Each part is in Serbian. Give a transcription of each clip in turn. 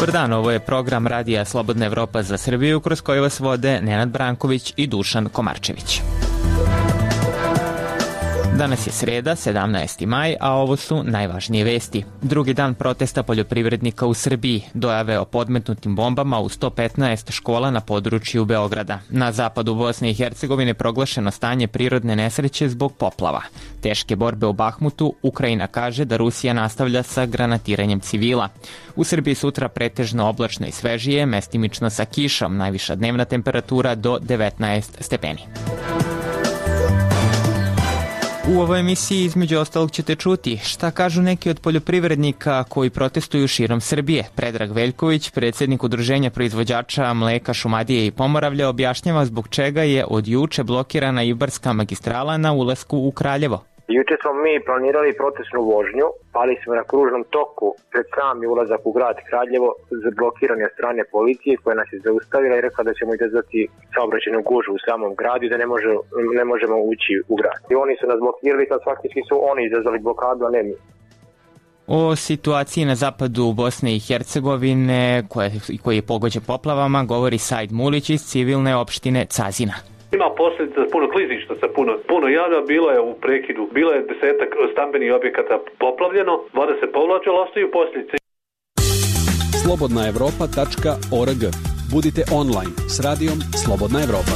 Dobar dan, ovo je program Radija Slobodna Evropa za Srbiju, kroz koji vas vode Nenad Branković i Dušan Komarčević. Danas je sreda, 17. maj, a ovo su najvažnije vesti. Drugi dan protesta poljoprivrednika u Srbiji, dojave o podmetnutim bombama u 115 škola na području Beograda. Na zapadu Bosne i Hercegovine proglašeno stanje prirodne nesreće zbog poplava. Teške borbe u Bahmutu, Ukrajina kaže da Rusija nastavlja sa granatiranjem civila. U Srbiji sutra pretežno oblačno i svežije, mestimično sa kišom, najviša dnevna temperatura do 19 stepeni. U ovoj emisiji između ostalog ćete čuti šta kažu neki od poljoprivrednika koji protestuju širom Srbije. Predrag Veljković, predsjednik Udruženja proizvođača mleka Šumadije i Pomoravlja, objašnjava zbog čega je od juče blokirana Ibarska magistrala na ulasku u Kraljevo. Juče smo mi planirali protestnu vožnju, pali smo na kružnom toku pred sami ulazak u grad Kraljevo, zablokirani od strane policije koja nas je zaustavila i rekla da ćemo izazvati saobraćajnu gužvu u samom gradu i da ne možemo ući u grad. I oni su nas blokirali, kad faktički su oni izazvali blokadu, a ne mi. O situaciji na zapadu Bosne i Hercegovine, koji je pogođen poplavama, govori Said Mulić iz civilne opštine Cazina. Ima posljedica puno klizišta sa puno jada, bilo je u prekidu, bilo je 10 stambenih objekata poplavljeno, voda se povlačila, ostaju posljedice. slobodnaevropa.org. Budite online s radijom Slobodna Evropa.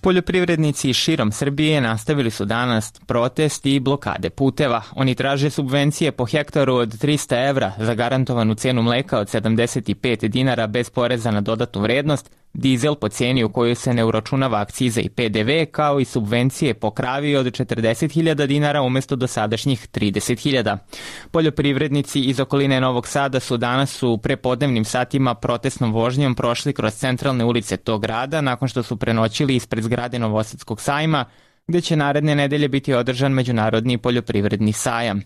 Poljoprivrednici širom Srbije nastavili su danas protest i blokade puteva. Oni traže subvencije po hektaru od 300 evra, zagarantovanu cenu mleka od 75 dinara bez poreza na dodatnu vrednost, dizel po cijeni u kojoj se ne uračunava akciza i PDV, kao i subvencije po kravi od 40.000 dinara umjesto dosadašnjih 30.000. Poljoprivrednici iz okoline Novog Sada su danas u prepodnevnim satima protestnom vožnjom prošli kroz centralne ulice tog grada nakon što su prenoćili ispred zgrade Novosadskog sajma, gdje će naredne nedelje biti održan Međunarodni poljoprivredni sajam.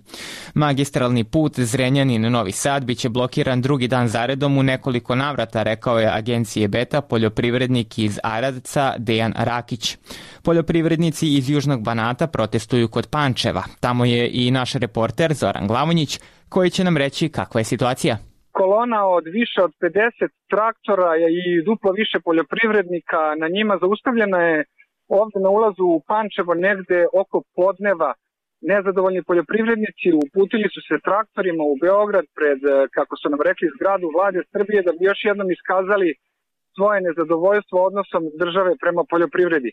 Magistralni put Zrenjanin-Novi Sad biće blokiran drugi dan zaredom u nekoliko navrata, rekao je agencije Beta poljoprivrednik iz Aradca Dejan Rakić. Poljoprivrednici iz Južnog Banata protestuju kod Pančeva. Tamo je i naš reporter Zoran Glavonjić, koji će nam reći kakva je situacija. Kolona od više od 50 traktora i duplo više poljoprivrednika, na njima zaustavljena je ovdje na ulazu u Pančevo negde oko podneva. Nezadovoljni poljoprivrednici uputili su se traktorima u Beograd pred, kako su nam rekli, zgradu vlade Srbije da bi još jednom iskazali svoje nezadovoljstvo odnosom države prema poljoprivredi.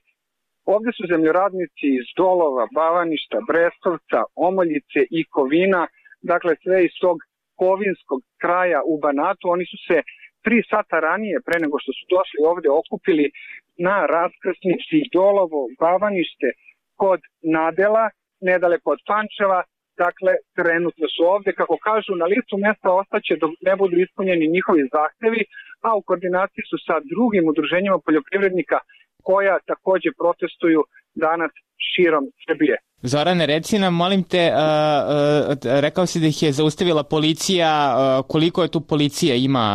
Ovdje su zemljoradnici iz Dolova, Bavaništa, Brestovca, Omoljice i Kovina, dakle sve iz tog kovinskog kraja u Banatu. Oni su se 3 sata ranije, pre nego što su došli ovdje, okupili na raskrsnici Dolovo, Bavanište kod Nadela, nedaleko od Pančeva. Dakle, trenutno su ovdje, kako kažu, na licu mesta ostaće dok ne budu ispunjeni njihovi zahtevi, a u koordinaciji su sa drugim udruženjima poljoprivrednika koja također protestuju danas širom Srbije. Zorane, reci nam, molim te, rekao si da ih je zaustavila policija, koliko je tu policija ima,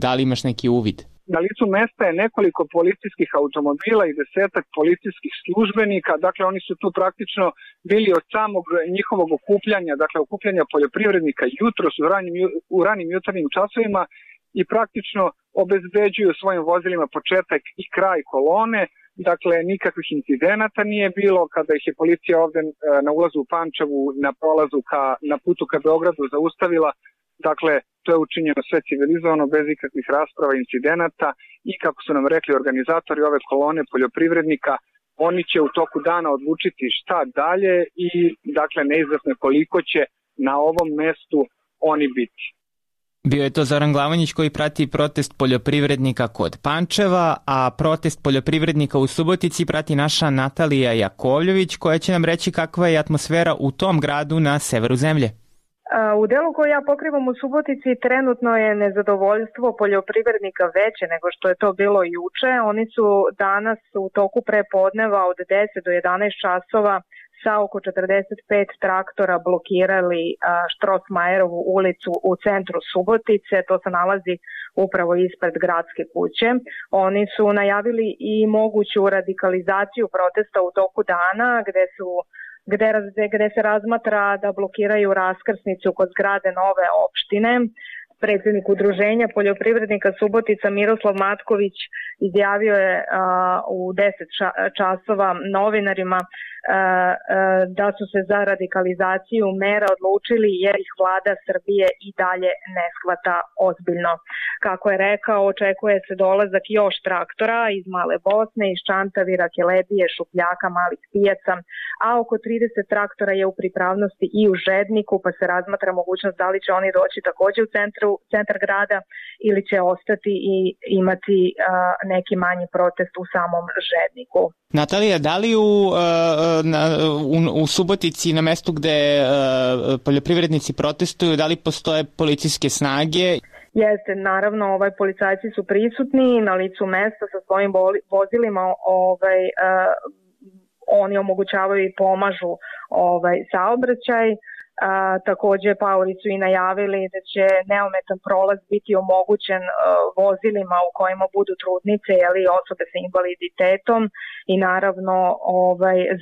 da li imaš neki uvid? Na licu mesta je nekoliko policijskih automobila i 10 policijskih službenika, dakle oni su tu praktično bili od samog njihovog okupljanja, dakle okupljanja poljoprivrednika jutros u ranim jutarnjim časovima i praktično obezbeđuju svojim vozilima početak i kraj kolone. Dakle, nikakvih incidenata nije bilo kada ih je policija ovdje na ulazu u Pančevu, na prolazu na putu ka Beogradu zaustavila. Dakle, to je učinjeno sve civilizovano, bez ikakvih rasprava, incidenata i kako su nam rekli organizatori ove kolone poljoprivrednika, oni će u toku dana odlučiti šta dalje i dakle neizvesno koliko će na ovom mestu oni biti. Bio je to Zoran Glavonjić koji prati protest poljoprivrednika kod Pančeva, a protest poljoprivrednika u Subotici prati naša Natalija Jakovljević koja će nam reći kakva je atmosfera u tom gradu na severu zemlje. U delu koji ja pokrivam u Subotici trenutno je nezadovoljstvo poljoprivrednika veće nego što je to bilo juče. Oni su danas u toku prepodneva od 10 do 11 časova sa oko 45 traktora blokirali Štrosmajerovu ulicu u centru Subotice. To se nalazi upravo ispred gradske kuće. Oni su najavili i moguću radikalizaciju protesta u toku dana gde su gde se razmatra da blokiraju raskrsnicu kod zgrade nove opštine. Predsjednik udruženja poljoprivrednika Subotica Miroslav Matković izjavio je u 10 časova novinarima da su se za radikalizaciju mera odlučili jer ih vlada Srbije i dalje ne shvata ozbiljno. Kako je rekao, očekuje se dolazak još traktora iz Male Bosne, iz Čantavira, Kelebije, Šupljaka, Malih Pijaca, a oko 30 traktora je u pripravnosti i u Žedniku, pa se razmatra mogućnost da li će oni doći također u centar grada ili će ostati i imati neki manji protest u samom Žedniku. Natalija, da li u Subotici, na mestu gde poljoprivrednici protestuju, da li postoje policijske snage? Jeste, naravno, policajci su prisutni na licu mesta sa svojim vozilima, oni omogućavaju i pomažu saobraćaj. Također paori su i najavili da će neometan prolaz biti omogućen vozilima u kojima budu trudnice ili osobe sa invaliditetom i naravno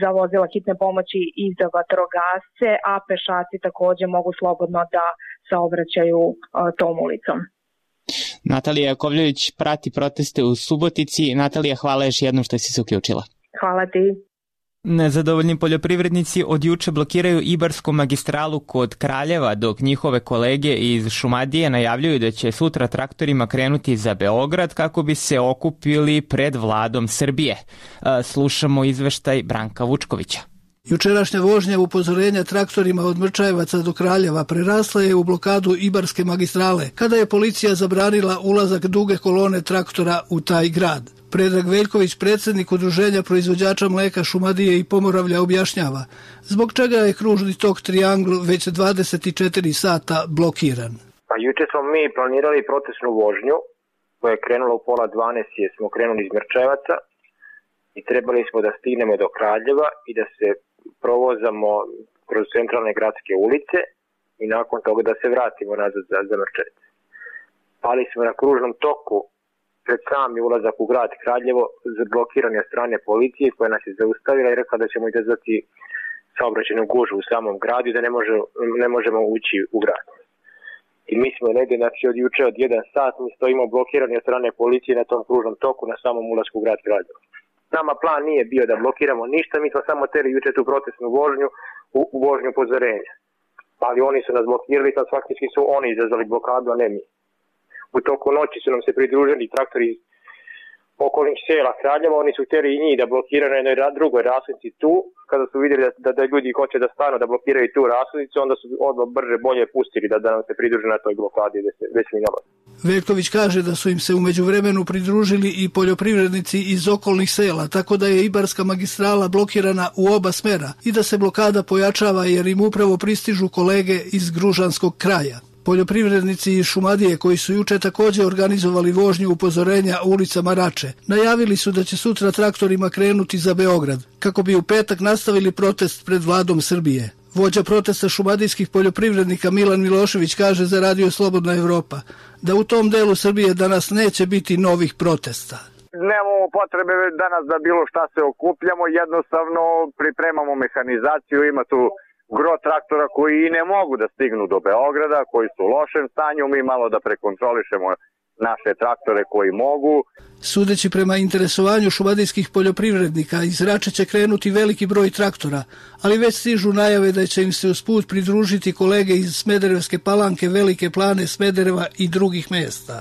za vozila hitne pomoći i za vatrogasce, a pešaci također mogu slobodno da saobraćaju tom ulicom. Natalija Jakovljević prati proteste u Subotici. Natalija, hvala još jednom što si se uključila. Hvala ti. Nezadovoljni poljoprivrednici od juče blokiraju Ibarsku magistralu kod Kraljeva, dok njihove kolege iz Šumadije najavljuju da će sutra traktorima krenuti za Beograd kako bi se okupili pred vladom Srbije. Slušamo izveštaj Branka Vučkovića. Jučerašnja vožnja upozorenja traktorima od Mrčajevaca do Kraljeva prerasla je u blokadu Ibarske magistrale, kada je policija zabranila ulazak duge kolone traktora u taj grad. Predrag Veljković, predsjednik udruženja proizvođača mleka Šumadije i Pomoravlja, objašnjava zbog čega je kružni tok Triangl već 24 sata blokiran. Pa juče smo mi planirali protestnu vožnju koja je krenula u 11:30 jer smo krenuli iz Mrčajevaca i trebali smo da stignemo do Kraljeva i da se provozamo kroz centralne gradske ulice i nakon toga da se vratimo nazad za Mrčajevac. Pali smo na kružnom toku pred sami ulazak u grad Kraljevo, blokirani od strane policije koja nas je zaustavila i rekla da ćemo izazvati saobraćajnu gužvu u samom gradu i da ne možemo ući u grad. I mi smo negdje, znači od juče od 1 sat, mi stojimo blokirani od strane policije na tom kružnom toku na samom ulasku u grad Kraljevo. Nama plan nije bio da blokiramo ništa, mi smo samo teli juče tu protestnu vožnju u vožnju upozorenja. Ali oni su nas blokirali, sad faktički su oni izazvali blokadu, a ne mi. U toku noći su nam se pridružili traktori okolnih sela Kraljeva, oni su htjeli i njih da blokiraju na jednoj drugoj rasnici tu. Kada su vidjeli da ljudi hoće da stanu da blokiraju tu rasnicu, onda su odmah brže bolje pustili da nam se pridruže na toj blokadi već mi nalazi. Veljković kaže da su im se u međuvremenu pridružili i poljoprivrednici iz okolnih sela, tako da je Ibarska magistrala blokirana u oba smera i da se blokada pojačava jer im upravo pristižu kolege iz Gružanskog kraja. Poljoprivrednici iz Šumadije, koji su juče također organizovali vožnju upozorenja ulicama Rače, najavili su da će sutra traktorima krenuti za Beograd, kako bi u petak nastavili protest pred vladom Srbije. Vođa protesta šumadijskih poljoprivrednika Milan Milošević kaže za Radio Slobodna Evropa da u tom delu Srbije danas neće biti novih protesta. Nemamo potrebe danas da bilo šta se okupljamo, jednostavno pripremamo mehanizaciju, ima tu gro traktora koji i ne mogu da stignu do Beograda, koji su u lošem stanju, mi malo da prekontrolišemo naše traktore koji mogu. Sudeći prema interesovanju šumadijskih poljoprivrednika, iz Rače će krenuti veliki broj traktora, ali već stižu najave da će im se usput pridružiti kolege iz Smederevske Palanke, Velike Plane, Smedereva i drugih mjesta.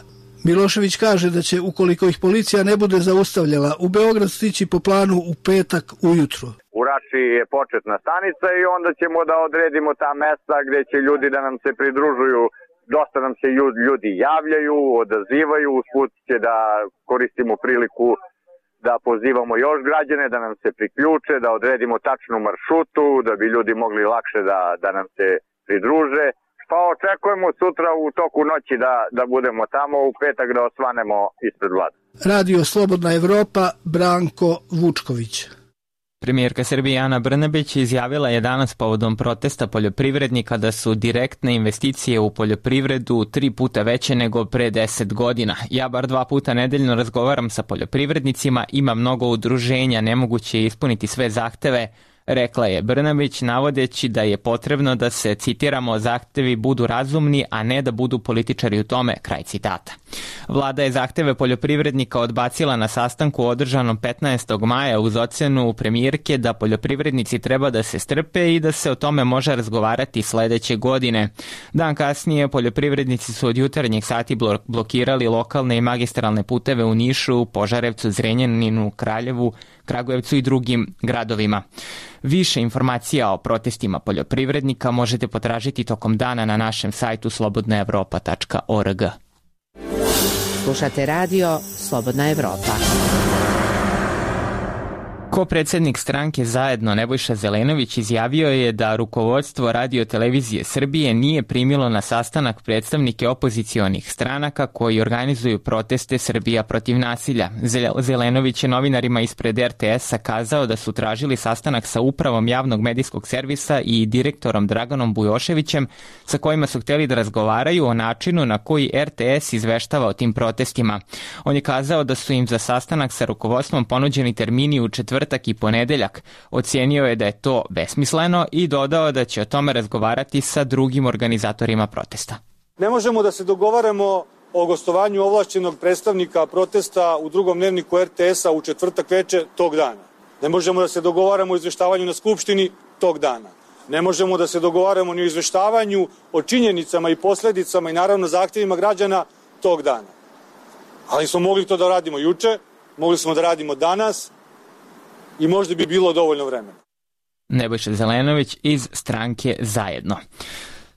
Milošević kaže da će, ukoliko ih policija ne bude zaustavljala, u Beograd stići po planu u petak ujutro. U Rači je početna stanica i onda ćemo da odredimo ta mesta gdje će ljudi da nam se pridružuju. Dosta nam se ljudi javljaju, odazivaju, usput će da koristimo priliku da pozivamo još građane da nam se priključe, da odredimo tačnu maršrutu, da bi ljudi mogli lakše da nam se pridruže. Pa očekujemo sutra u toku noći da budemo tamo, u petak da osvanemo ispred vlade. Radio Slobodna Evropa, Branko Vučković. Premijerka Srbije Ana Brnabić izjavila je danas povodom protesta poljoprivrednika da su direktne investicije u poljoprivredu 3 puta veće nego pre 10 godina. Ja bar 2 puta nedeljno razgovaram sa poljoprivrednicima, ima mnogo udruženja, nemoguće je ispuniti sve zahteve, rekla je Brnabić, navodeći da je potrebno da se, citiramo, zahtevi budu razumni, a ne da budu političari u tome, kraj citata. Vlada je zahteve poljoprivrednika odbacila na sastanku održanom 15. maja uz ocenu premijerke da poljoprivrednici treba da se strpe i da se o tome može razgovarati sledeće godine. Dan kasnije poljoprivrednici su od jutarnjih sati blokirali lokalne i magistralne puteve u Nišu, Požarevcu, Zrenjaninu, Kraljevu, Kragujevcu i drugim gradovima. Više informacija o protestima poljoprivrednika možete potražiti tokom dana na našem sajtu slobodnaevropa.org. Slušate radio Slobodna Evropa. Ko-predsjednik stranke Zajedno Nebojša Zelenović izjavio je da rukovodstvo Radio-televizije Srbije nije primilo na sastanak predstavnike opozicionih stranaka koji organizuju proteste Srbija protiv nasilja. Zelenović je novinarima ispred RTS-a kazao da su tražili sastanak sa upravom javnog medijskog servisa i direktorom Draganom Bujoševićem, sa kojima su hteli da razgovaraju o načinu na koji RTS izveštava o tim protestima. On je kazao da su im za sastanak sa rukovodstvom ponuđeni termini u četvrtak i ponedeljak. Ocijenio je da je to besmisleno i dodao da će o tome razgovarati sa drugim organizatorima protesta. Ne možemo da se dogovaramo o gostovanju ovlašćenog predstavnika protesta u drugom dnevniku RTS-a u četvrtak veče tog dana. Ne možemo da se dogovaramo o izveštavanju na Skupštini tog dana. Ne možemo da se dogovaramo ni o izveštavanju o činjenicama i posledicama i naravno zahtjevima građana tog dana. Ali smo mogli to da radimo juče, mogli smo da radimo danas i možda bi bilo dovoljno vremena. Nebojša Zelenović iz stranke Zajedno.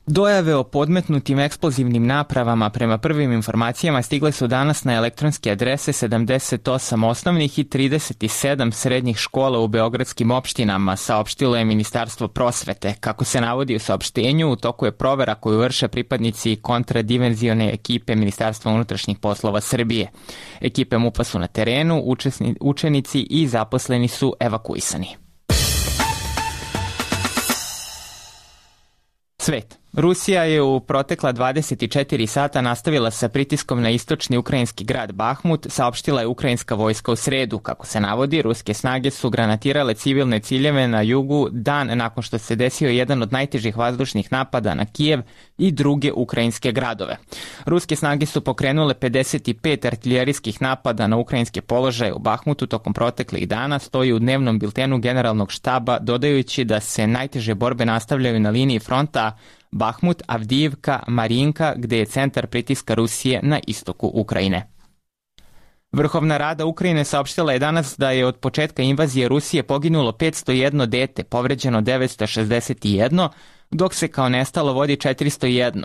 Dojave o podmetnutim eksplozivnim napravama prema prvim informacijama stigle su danas na elektronske adrese 78 osnovnih i 37 srednjih škola u beogradskim opštinama, saopštilo je Ministarstvo prosvete. Kako se navodi u saopštenju, u toku je provera koju vrše pripadnici kontradimenzijone ekipe Ministarstva unutrašnjih poslova Srbije. Ekipe MUP-a su na terenu, učenici i zaposleni su evakuisani. Svet. Rusija je u protekla 24 sata nastavila sa pritiskom na istočni ukrajinski grad Bahmut, saopštila je ukrajinska vojska u sredu. Kako se navodi, ruske snage su granatirale civilne ciljeve na jugu dan nakon što se desio jedan od najtežih vazdušnih napada na Kijev i druge ukrajinske gradove. Ruske snage su pokrenule 55 artiljerijskih napada na ukrajinske položaje u Bahmutu tokom proteklih dana, stoji u dnevnom biltenu generalnog štaba, dodajući da se najteže borbe nastavljaju na liniji fronta Bahmut, Avdijivka, Marinka, gde je centar pritiska Rusije na istoku Ukrajine. Vrhovna rada Ukrajine saopštila je danas da je od početka invazije Rusije poginulo 501 dete, povređeno 961, dok se kao nestalo vodi 401,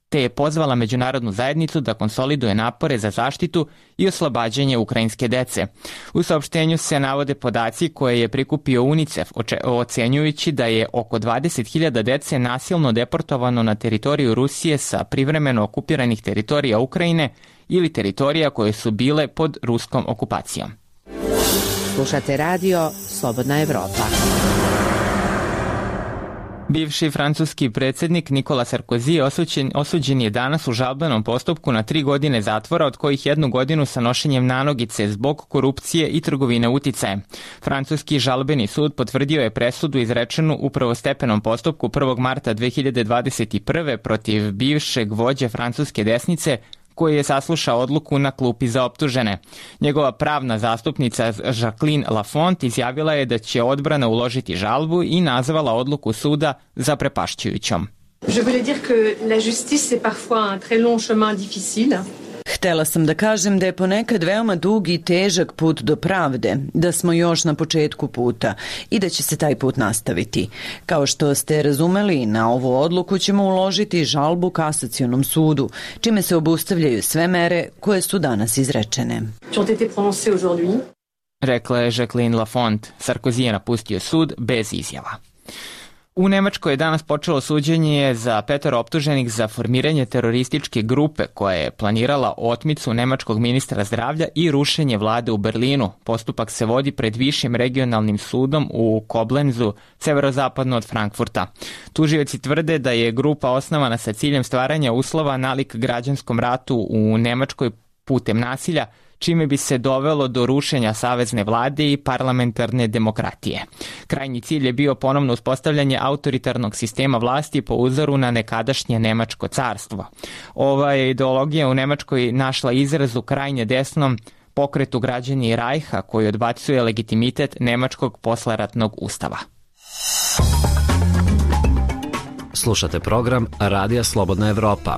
te je pozvala međunarodnu zajednicu da konsoliduje napore za zaštitu i oslobađanje ukrajinske dece. U saopštenju se navode podaci koje je prikupio UNICEF, ocenjujući da je oko 20.000 dece nasilno deportovano na teritoriju Rusije sa privremeno okupiranih teritorija Ukrajine ili teritorija koje su bile pod ruskom okupacijom. Slušate radio Slobodna Evropa. Bivši francuski predsjednik Nicolas Sarkozy osuđen je danas u žalbenom postupku na 3 godine zatvora, od kojih 1 godinu sa nošenjem nanogice zbog korupcije i trgovine uticajem. Francuski žalbeni sud potvrdio je presudu izrečenu u prvostepenom postupku 1. marta 2021. protiv bivšeg vođe francuske desnice, koji je saslušao odluku na klupi za optužene. Njegova pravna zastupnica Jacqueline Lafont izjavila je da će odbrana uložiti žalbu i nazvala odluku suda zaprepašćujućom. Je voulais dire que la justice est parfois un très long chemin difficile. Htela sam da kažem da je ponekad veoma dug i težak put do pravde, da smo još na početku puta i da će se taj put nastaviti. Kao što ste razumeli, na ovu odluku ćemo uložiti žalbu kasacionom sudu, čime se obustavljaju sve mere koje su danas izrečene. Rekla je Jacqueline Lafont. Sarkozy je napustio sud bez izjava. U Nemačkoj je danas počelo suđenje za 5 optuženih za formiranje terorističke grupe koja je planirala otmicu nemačkog ministra zdravlja i rušenje vlade u Berlinu. Postupak se vodi pred višim regionalnim sudom u Koblenzu, severozapadno od Frankfurta. Tužioci tvrde da je grupa osnovana sa ciljem stvaranja uslova nalik građanskom ratu u Nemačkoj putem nasilja, čime bi se dovelo do rušenja savezne vlade i parlamentarne demokratije. Krajnji cilj je bio ponovno uspostavljanje autoritarnog sistema vlasti po uzoru na nekadašnje Nemačko carstvo. Ova je ideologija u Nemačkoj našla izraz u krajnje desnom pokretu Građani Rajha, koji odbacuje legitimitet nemačkog posleratnog ustava. Slušate program Radija Slobodna Evropa.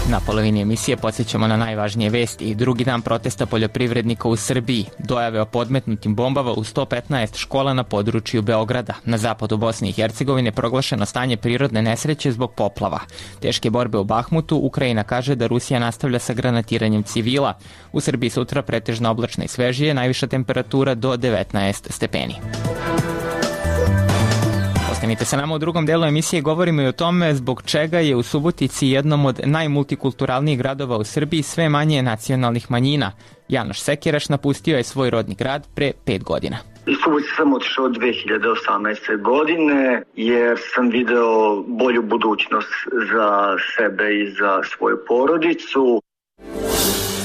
Na polovini emisije podsjećamo na najvažnije vesti i drugi dan protesta poljoprivrednika u Srbiji, dojave o podmetnutim bombama u 115 škola na području Beograda. Na zapadu Bosne i Hercegovine proglašeno stanje prirodne nesreće zbog poplava. Teške borbe u Bahmutu, Ukrajina kaže da Rusija nastavlja sa granatiranjem civila. U Srbiji sutra pretežno oblačno i svežije, najviša temperatura do 19 stepeni. Ostanite sa nama u drugom delu emisije, govorimo i o tome zbog čega je u Subotici, jednom od najmultikulturalnijih gradova u Srbiji, sve manje nacionalnih manjina. Janoš Sekiraš napustio je svoj rodni grad pre 5 godina. Iz Subotice sam otišao 2018. godine jer sam video bolju budućnost za sebe i za svoju porodicu.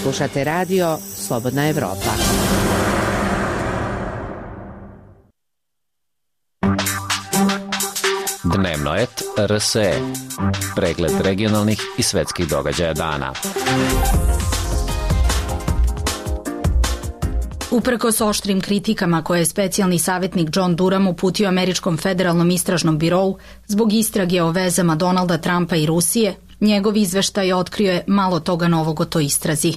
Slušate radio Slobodna Evropa. Dnevnoet RSE. Pregled regionalnih i svetskih događaja dana. Uprkos oštrim kritikama koje je specijalni savjetnik John Durham uputio Američkom federalnom istražnom birou zbog istrage o vezama Donalda Trumpa i Rusije, njegov izveštaj otkrio je malo toga novog o toj istrazi.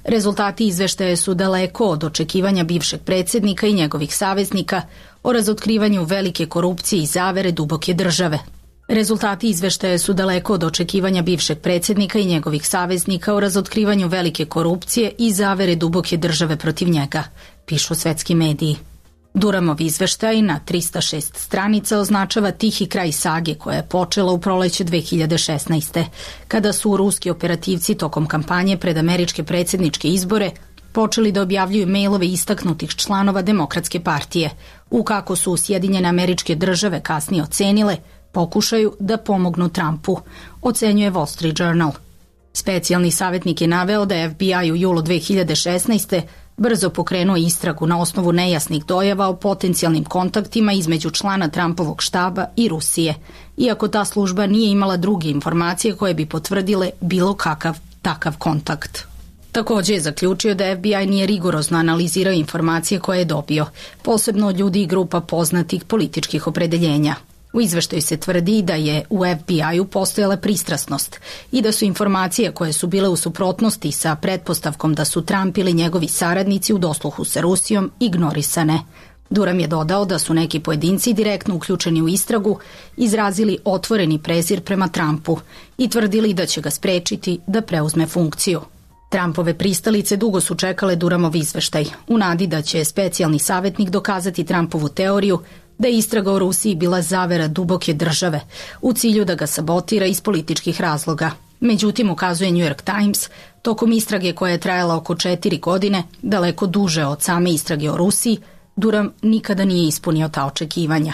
Rezultati izveštaja su daleko od očekivanja bivšeg predsjednika i njegovih saveznika o razotkrivanju velike korupcije i zavere duboke države. Rezultati izveštaja su daleko od očekivanja bivšeg predsjednika i njegovih saveznika o razotkrivanju velike korupcije i zavere duboke države protiv njega, pišu svetski mediji. Durhamov izveštaj na 306 stranica označava tihi kraj sage koja je počela u proleće 2016. kada su ruski operativci tokom kampanje pred američke predsjedničke izbore počeli da objavljuju mailove istaknutih članova Demokratske partije, u kako su Sjedinjene Američke Države kasnije ocenile pokušaju da pomognu Trumpu, ocenjuje Wall Street Journal. Specijalni savjetnik je naveo da je FBI u julu 2016. brzo pokrenuo istragu na osnovu nejasnih dojava o potencijalnim kontaktima između člana Trumpovog štaba i Rusije, iako ta služba nije imala druge informacije koje bi potvrdile bilo kakav takav kontakt. Također je zaključio da FBI nije rigorozno analizirao informacije koje je dobio, posebno od ljudi i grupa poznatih političkih opredeljenja. U izveštaju se tvrdi da je u FBI-u postojala pristrasnost i da su informacije koje su bile u suprotnosti sa pretpostavkom da su Trump ili njegovi saradnici u dosluhu sa Rusijom ignorisane. Durham je dodao da su neki pojedinci direktno uključeni u istragu izrazili otvoreni prezir prema Trumpu i tvrdili da će ga sprečiti da preuzme funkciju. Trumpove pristalice dugo su čekale Durhamov izveštaj, u nadi da će specijalni savjetnik dokazati Trumpovu teoriju da je istraga o Rusiji bila zavera duboke države u cilju da ga sabotira iz političkih razloga. Međutim, ukazuje New York Times, tokom istrage koja je trajala oko 4 godine, daleko duže od same istrage o Rusiji, Durham nikada nije ispunio ta očekivanja.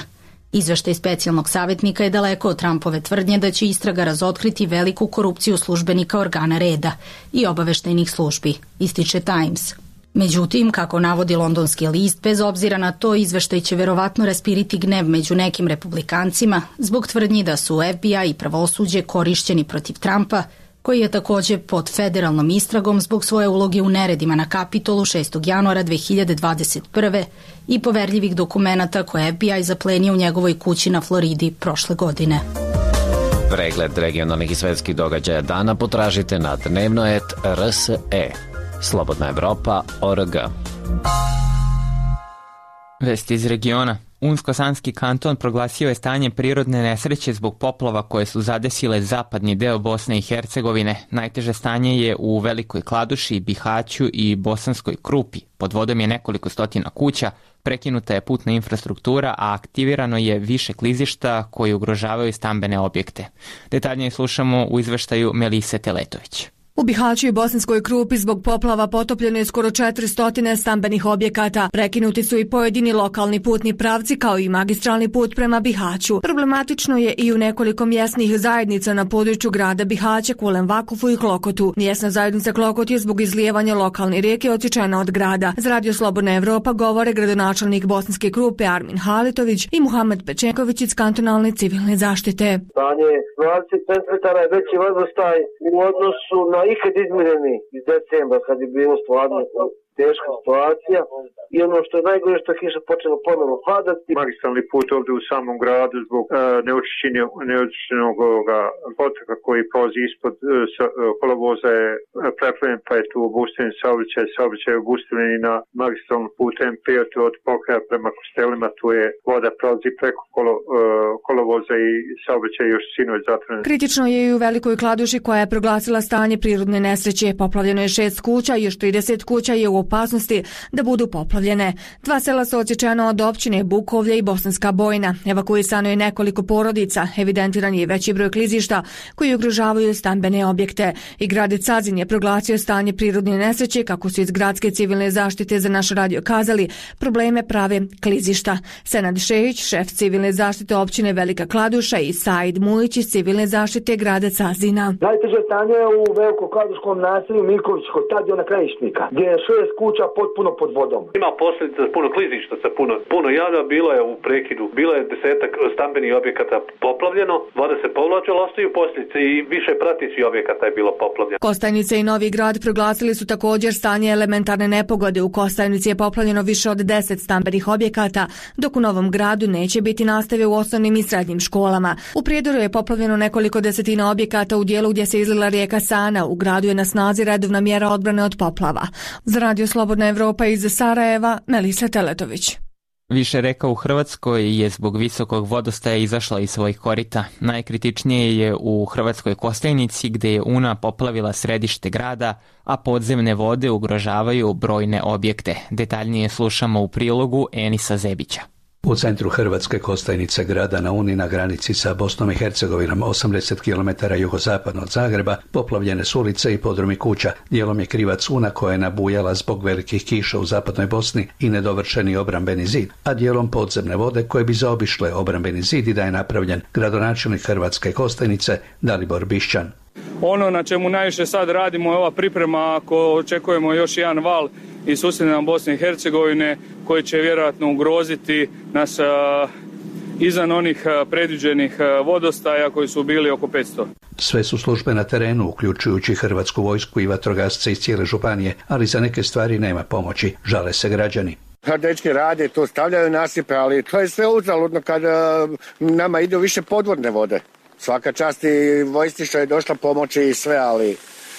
Izveštaj specijalnog savjetnika je daleko od Trumpove tvrdnje da će istraga razotkriti veliku korupciju službenika organa reda i obaveštajnih službi, ističe Times. Međutim, kako navodi londonski list, bez obzira na to izveštaj će verovatno raspiriti gnev među nekim republikancima zbog tvrdnji da su FBI i pravosuđe korišćeni protiv Trumpa, koji je također pod federalnom istragom zbog svoje uloge u neredima na Kapitolu 6. januara 2021. i poverljivih dokumenata koje FBI zaplenio u njegovoj kući na Floridi prošle godine. Pregled regionalnih i svetskih događaja dana potražite na Dnevnoet RSE. Slobodna Evropa.org. Vesti iz regiona. Unsko-Sanski kanton proglasio je stanje prirodne nesreće zbog poplava koje su zadesile zapadni deo Bosne i Hercegovine. Najteže stanje je u Velikoj Kladuši, Bihaću i Bosanskoj Krupi. Pod vodom je nekoliko stotina kuća, prekinuta je putna infrastruktura, a aktivirano je više klizišta koji ugrožavaju stambene objekte. Detaljnije slušamo u izveštaju Melise Teletović. U Bihaću i Bosanskoj Krupi zbog poplava potopljeno je skoro 400 stambenih objekata. Prekinuti su i pojedini lokalni putni pravci kao i magistralni put prema Bihaću. Problematično je i u nekoliko mjesnih zajednica na području grada Bihaća, Kulen Vakufu i Klokotu. Mjesna zajednica Klokot je zbog izlijevanja lokalne rijeke odsječena od grada. Za Radio Slobodna Evropa govore gradonačelnik Bosanske Krupe Armin Halitović i Muhamed Pečenković iz kantonalne civilne zaštite. Stanje 20 centimetara je veći vodostaj u odnosu na ikad izmjereni iz decembra kad je bilo stvarno teška situacija i ono što je najgore što je kiša počela ponovno padati. Magistralni put ovdje u samom gradu zbog neočišćenog potoka koji prolazi ispod kolovoza je preplavljen, pa je tu obustavljen saobraćaj je obustavljen i na magistralnom putu MP5 od Pokraja prema Kostelima, tu je voda prolazi preko kolovoza i saobraćaj još sinoć zatvoren. Kritično je i u Velikoj Kladuši koja je proglasila stanje prirodne nesreće. Poplavljeno je 6 kuća i još 30 kuća je u opasnosti da budu poplavljene. 2 sela su odsječena od općine Bukovlje i Bosanska Bojna. Evakuisano je nekoliko porodica. Evidentiran je veći broj klizišta koji ugrožavaju stambene objekte. I grad Cazin je proglasio stanje prirodne nesreće, kako su iz gradske civilne zaštite za naš radio kazali, probleme prave klizišta. Senad Šejić, šef civilne zaštite općine Velika Kladuša i Said Mulić iz civilne zaštite grada Cazina. Najteže stanje je u Veliko-Kladuškom naselju Milković kod stadiona Krajišnika, gdje je 6 kuća potpuno pod vodom. Ima posljedica puno klizišta sa puno jada, bilo je u prekidu, bilo je 10-ak stambenih objekata poplavljeno, voda se povlačila, ostaju posljedice i više pratećih objekata je bilo poplavljeno. Kostajnica i Novi Grad proglasili su također stanje elementarne nepogode. U Kostajnici je poplavljeno više od 10 stambenih objekata, dok u Novom Gradu neće biti nastave u osnovnim i srednjim školama. U Prijedoru je poplavljeno nekoliko desetina objekata u dijelu gdje se izlila rijeka Sana. U gradu je na snazi redovna mjera odbrane od poplava. Za Radio Slobodna Evropa iz Sarajeva, Melisa Teletović. Više reka u Hrvatskoj je zbog visokog vodostaja izašla iz svojih korita. Najkritičnije je u Hrvatskoj Kostajnici, gdje je Una poplavila središte grada, a podzemne vode ugrožavaju brojne objekte. Detaljnije slušamo u prilogu Enisa Zebića. U centru Hrvatske Kostajnice, grada na Uni na granici sa Bosnom i Hercegovinom, 80 km jugozapadno od Zagreba, poplavljene su ulice i podrumi kuća. Dijelom je krivac Una koja je nabujala zbog velikih kiša u zapadnoj Bosni i nedovršeni obrambeni zid, a dijelom podzemne vode koje bi zaobišle obrambeni zid i da je napravljen gradonačelnik Hrvatske Kostajnice Dalibor Bišćan. Ono na čemu najviše sad radimo je ova priprema ako očekujemo još jedan val iz susjedne nam Bosne i Hercegovine koji će vjerojatno ugroziti nas izvan onih predviđenih vodostaja koji su bili oko 500. Sve su službe na terenu, uključujući Hrvatsku vojsku i vatrogasce iz cijele županije, ali za neke stvari nema pomoći, žale se građani. Dečki rade, to stavljaju nasipe, ali to je sve uzaludno kad nama idu više podvodne vode. Svaka čast i vojsci što je došla pomoći i sve, ali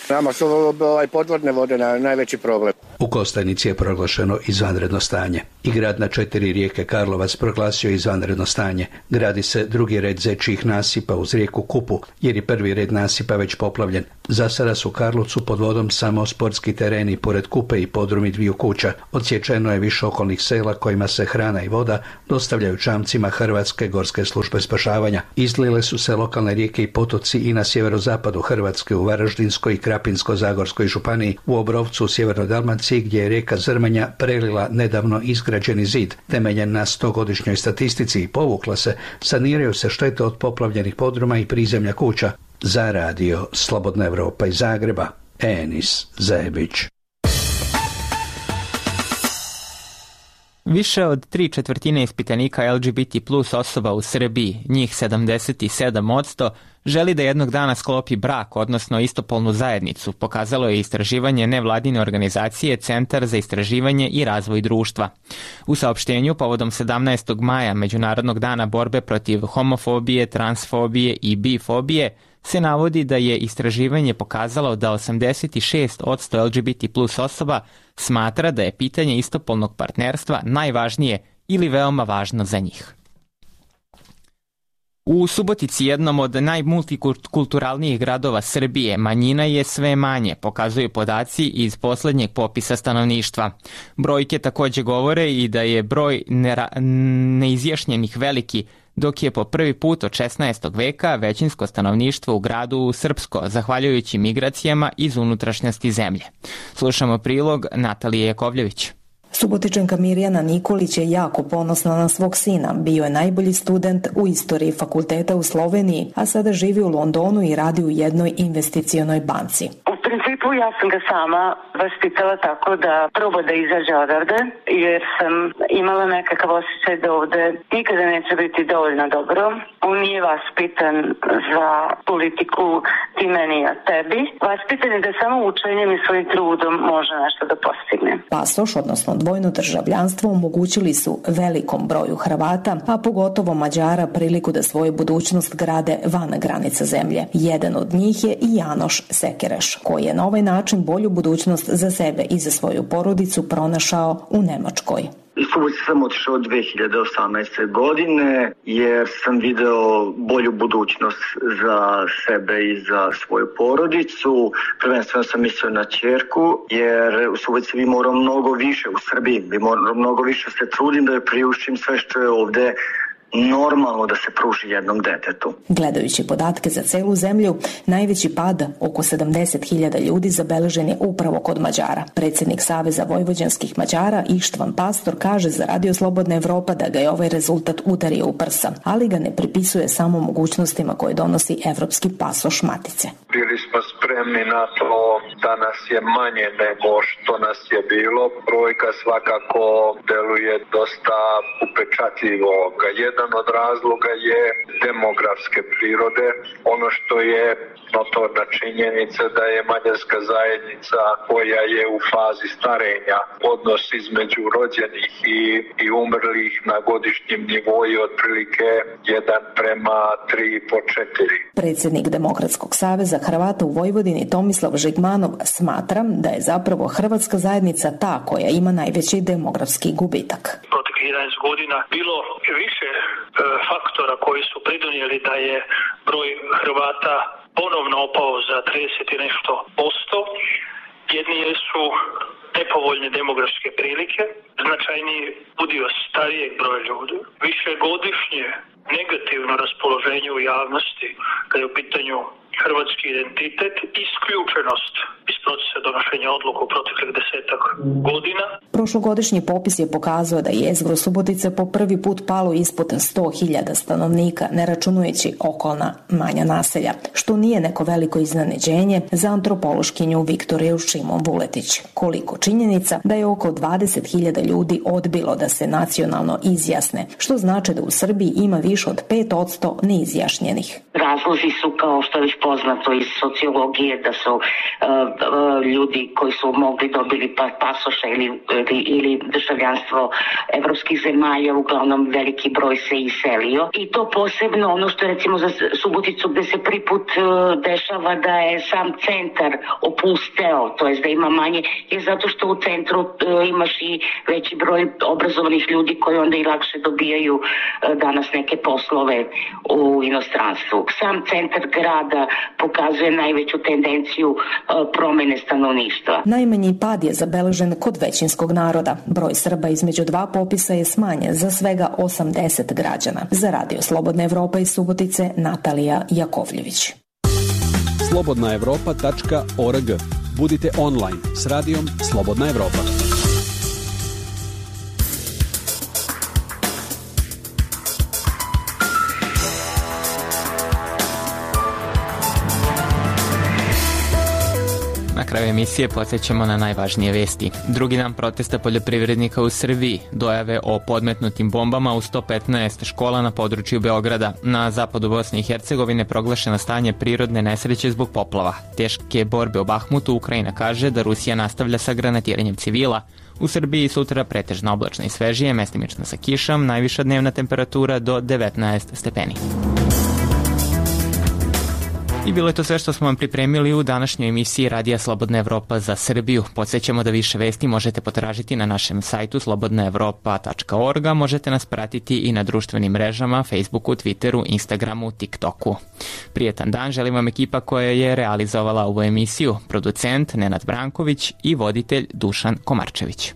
nama su podvodne vode najveći problem. U Kostajnici je proglašeno izvanredno stanje. I grad na 4 rijeke Karlovac proglasio izvanredno stanje. Gradi se drugi red zečjih nasipa uz rijeku Kupu, jer je prvi red nasipa već poplavljen. Za sada su u Karlovcu pod vodom samo sportski tereni pored Kupe i podrumi 2 kuća. Odsječeno je više okolnih sela kojima se hrana i voda dostavljaju čamcima Hrvatske gorske službe spašavanja. Izlile su se lokalne rijeke i potoci i na sjeverozapadu Hrvatske, u Varaždinskoj i Krapinsko-zagorskoj županiji, u Obrovcu u sjevernoj Dalmaciji, gdje je rijeka Zrmanja prelila nedavno izgrađeni zid. Temeljen na 100-godišnjoj statistici i povukla se, saniraju se štete od poplavljenih podruma i prizemlja kuća. Za Radio Slobodna Evropa iz Zagreba, Enis Zebić. Više od 3/4 ispitanika LGBT plus osoba u Srbiji, njih 77%, želi da jednog dana sklopi brak, odnosno istopolnu zajednicu, pokazalo je istraživanje nevladine organizacije Centar za istraživanje i razvoj društva. U saopštenju povodom 17. maja Međunarodnog dana borbe protiv homofobije, transfobije i bifobije se navodi da je istraživanje pokazalo da 86% LGBT plus osoba smatra da je pitanje istopolnog partnerstva najvažnije ili veoma važno za njih. U Subotici, jednom od najmultikulturalnijih gradova Srbije, manjina je sve manje, pokazuju podaci iz posljednjeg popisa stanovništva. Brojke također govore i da je broj neizjašnjenih veliki, dok je po prvi put od 16. veka većinsko stanovništvo u gradu srpsko, zahvaljujući migracijama iz unutrašnjosti zemlje. Slušamo prilog Natalije Jakovljević. Subotičanka Mirjana Nikolić je jako ponosna na svog sina. Bio je najbolji student u istoriji fakulteta u Sloveniji, a sada živi u Londonu i radi u jednoj investicionoj banci. U principu ja sam ga sama vaspitala tako da proba da izađe odavde, jer sam imala nekakav osjećaj da ovde nikada neće biti dovoljno dobro. On nije vaspitan za politiku ti meni a tebi. Vaspitan je da samo učenjem i svojim trudom može nešto da postigne. Pasoš, odnosno dvojno državljanstvo, omogućili su velikom broju Hrvata, a pogotovo Mađara, priliku da svoju budućnost grade van granica zemlje. Jedan od njih je i Janoš Sekereš, koji je na ovaj način bolju budućnost za sebe i za svoju porodicu pronašao u Nemačkoj. Iz Subotice sam otišao 2018. godine jer sam video bolju budućnost za sebe i za svoju porodicu. Prvenstveno sam mislio na ćerku jer u Subotici bi morao mnogo više, u Srbiji bi morao mnogo više se trudim da joj priuštim sve što je ovde normalno da se pruži jednom detetu. Gledajući podatke za celu zemlju, najveći pad, oko 70.000 ljudi, zabeležen je upravo kod Mađara. Predsjednik Saveza vojvođanskih Mađara Ištvan Pastor kaže za Radio Slobodna Evropa da ga je ovaj rezultat udario u prsa, ali ga ne pripisuje samo mogućnostima koje donosi evropski pasoš matice. Bili smo spremni na to da nas je manje nego što nas je bilo. Brojka svakako deluje dosta upečatljivo. Jedan od razloga je demografske prirode. Ono što je notorna činjenica da je mađarska zajednica koja je u fazi starenja, odnos između rođenih i umrlih na godišnjem nivou je otprilike 1:3,4. Predsjednik Demokratskog saveza Hrvata u Vojvodini Tomislav Žigmanov smatra da je zapravo hrvatska zajednica ta koja ima najveći demografski gubitak. Proteklih 11 godina bilo više faktora koji su pridonijeli da je broj Hrvata ponovno opao za 30 i nešto posto. Jedni su nepovoljne demografske prilike, značajniji udio starijeg broja ljudi, višegodišnje negativno raspoloženje u javnosti kada je u pitanju hrvatski identitet, isključenost iz procesa donošenja odluka u proteklih 10-ak godina. Prošlogodišnji popis je pokazao da je jezgro Subotice po prvi put palo ispod 100.000 stanovnika, ne računajući okolna manja naselja, što nije neko veliko iznenađenje za antropološkinju Viktoriju Šimon Vuletić. Koliko činjenica da je oko 20.000 ljudi odbilo da se nacionalno izjasne, što znači da u Srbiji ima više od 5% neizjašnjenih. Razlozi su, kao što je već poznato iz sociologije, da su ljudi koji su mogli dobili pasoša ili državljanstvo evropskih zemalja, uglavnom veliki broj se iselio. I to posebno ono što je recimo za Suboticu gde se prvi put dešava da je sam centar opusteo, to jest da ima manje, je zato što u centru imaš i veći broj obrazovanih ljudi koji onda i lakše dobijaju danas neke poslove u inostranstvu. Sam centar grada pokazuje najveću tendenciju promene stanovništva. Najmanji pad je zabeležen kod većinskog naroda. Broj Srba između dva popisa je smanjen za svega 80 građana. Za Radio Slobodna Evropa iz Subotice, Natalija Jakovljević. slobodnaevropa.org. Budite online s radijom Slobodna Evropa. Na kraju emisije podsjećamo na najvažnije vesti. Drugi dan protesta poljoprivrednika u Srbiji, dojave o podmetnutim bombama u 115 škola na području Beograda. Na zapadu Bosne i Hercegovine proglašeno stanje prirodne nesreće zbog poplava. Teške borbe u Bahmutu, Ukrajina kaže da Rusija nastavlja sa granatiranjem civila. U Srbiji sutra pretežno oblačno i svežije, mestimično sa kišom, najviša dnevna temperatura do 19 stepeni. I bilo je to sve što smo vam pripremili u današnjoj emisiji Radija Slobodna Evropa za Srbiju. Podsjećamo da više vesti možete potražiti na našem sajtu slobodnaevropa.org, a možete nas pratiti i na društvenim mrežama, Facebooku, Twitteru, Instagramu, TikToku. Prijetan dan želim vam ekipa koja je realizovala ovu emisiju, producent Nenad Branković i voditelj Dušan Komarčević.